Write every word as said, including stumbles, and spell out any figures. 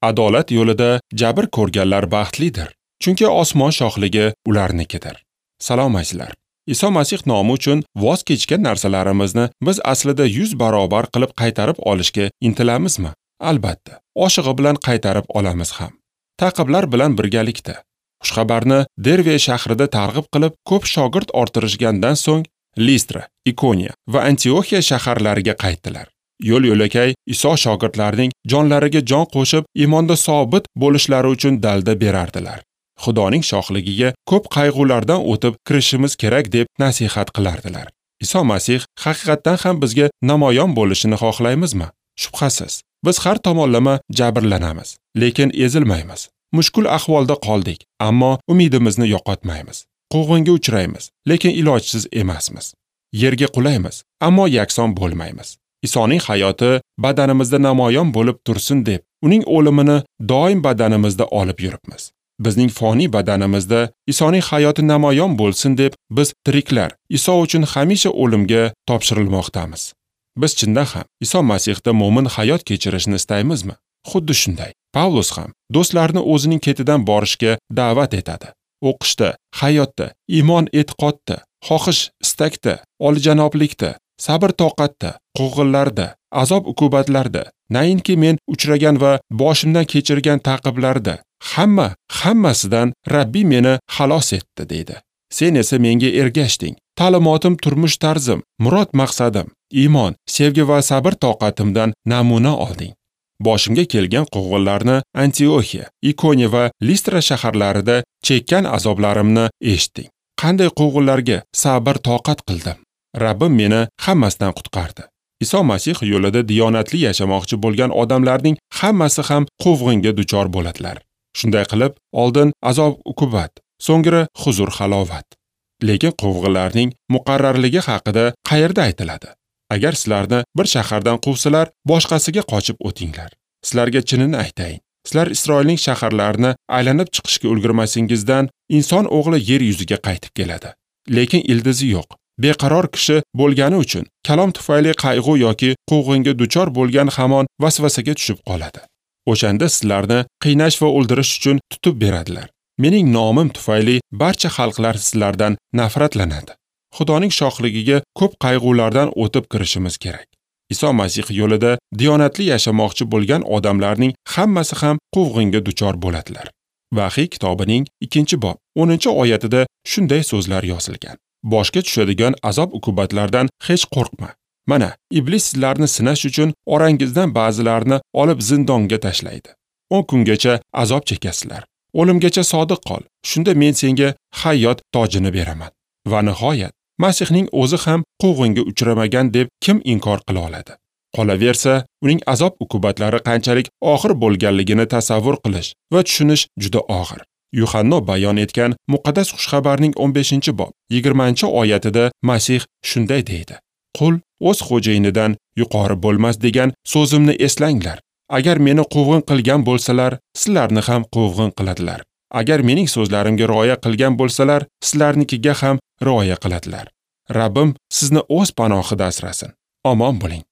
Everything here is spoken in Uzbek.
Adolat yo'lida jabr ko'rganlar baxtlidir, chunki osmon shohligi ularnikidir. Salom azizlar. Iso Masih nomi uchun voz kechgan narsalarimizni biz aslida yuz barobar qilib qaytarib olishga intilamizmi? Albatta, oshig'i bilan qaytarib olamiz ham. Ta'qiblar bilan birgalikda. Xushxabarni Derve shahrida targ'ib qilib, ko'p shogird orttirishgandan so'ng Listra, Ikoniya va Antioxiya shaharlariga qaytdilar. Yo'l-yo'lakay Iso shogirdlarining jonlariga jon qo'shib, iymonda sobit bo'lishlari uchun dalda berardilar. Xudoning shohligiga ko'p qayg'ulardan o'tib kirishimiz kerak deb nasihat qilardilar. Iso Masih haqiqatdan ham bizga namoyon bo'lishini xohlaymizmi? Shubhasiz. Biz har tomonlama jabrlanamiz, lekin ezilmaymiz. Mushkul ahvolda qoldik, ammo umidimizni yo'qotmaymiz. Quvg'inga uchraymiz, lekin ilojsiz emasmiz. Yerga qulaymiz, ammo yakson bo'lmaymiz. Isoning hayoti badanimizda namoyon bo'lib tursin deb, uning o'limini doim badanimizda olib yuribmiz. Bizning foniy badanimizda Isoning hayoti namoyon bo'lsin deb biz tiriklar Iso uchun hamisha o'limga topshirilmoqdamiz. Biz chindan ham Iso Masihda mo'min hayot kechirishni istaymizmi? Xuddi shunday. Pavlus ham do'stlarini o'zining ketidan borishga da'vat etadi. O'qishda, hayotda, iymon e'tiqodda, xohish istakda, oljanoblikda, sabr toqatda, quvg'inlarda, azob uqubatlarda, nainki men uchragan va boshimdan kechirgan ta'qiblarda, hamma hammasidan Rabbi meni xalos etdi deydi. Sen esa menga ergashding. Ta'limotim, turmush tarzim, murod maqsadim, iymon, sevgi va sabr toqatimdan namuna olding. Boshimga kelgan quvg'inlarni Antioxiya, Ikoniya va Listra shaharlarida chekkan azoblarimni eshitding. Qanday quvg'inlarga sabr toqat qildim. Rabbim meni hammasidan qutqardi. Iso Masih yo'lida diyonatli yashamoqchi bo'lgan odamlarning hammasi ham quvg'inga duchor bo'ladilar. Shunday qilib, oldin azob uqubat, so'ngra huzur halovat. Lekin quvg'inlarning muqarrarligi haqida qayerda aytiladi? Agar sizlarni bir shahardan quvsalar, boshqasiga qochib o'tinglar. Sizlarga chinini aytayin. Sizlar Isroilning shaharlarini aylanib chiqishga ulgurmasingizdan inson o'g'li yer yuziga qaytib keladi. Lekin ildizi yo'q. Beqaror kishi bo'lgani uchun kalom tufayli qayg'u yoki quvg'inga duchor bo'lgan hamon vasvasaga tushib qoladi. O'shanda sizlarni qiynash va o'ldirish uchun tutib beradilar. Mening nomim tufayli barcha xalqlar sizlardan nafratlanadi. Xudoning shohligiga ko'p qayg'ulardan o'tib kirishimiz kerak. Iso Masih yo'lida diyonatli yashamoqchi bo'lgan odamlarning hammasi ham quvg'inga duchor bo'ladilar. Vahiy kitobining ikkinchi bob o'ninchi oyatida shunday so'zlar yozilgan. Boshga tushadigan azob uqubatlardan hech qo'rqma. Mana, iblis sizlarni sinash uchun orangizdan ba'zilarini olib zindonga tashlaydi. o'n kungacha azob chekasizlar. O'limgacha sodiq qol. Shunda men senga hayot tojini beraman. Va nihoyat, Masihning o'zi ham quvg'inga uchramagan deb kim inkor qila oladi? Qolaversa, uning azob uqubatlari qanchalik og'ir bo'lganligini tasavvur qilish va tushunish juda og'ir. Yuhanno bayon etgan muqaddas xushxabarning o'n beshinchi bob yigirmanchi oyatida Masih shunday deydi: Qul o'z xo'jayinidan yuqori bo'lmas degan so'zimni eslanglar. Agar meni quvg'in qilgan bo'lsalar, sizlarni ham quvg'in qiladilar. Agar mening so'zlarimga rioya qilgan bo'lsalar, sizlarnikiga ham rioya qiladilar. Rabbim sizni o'z panohida asrasin. Omon bo'ling.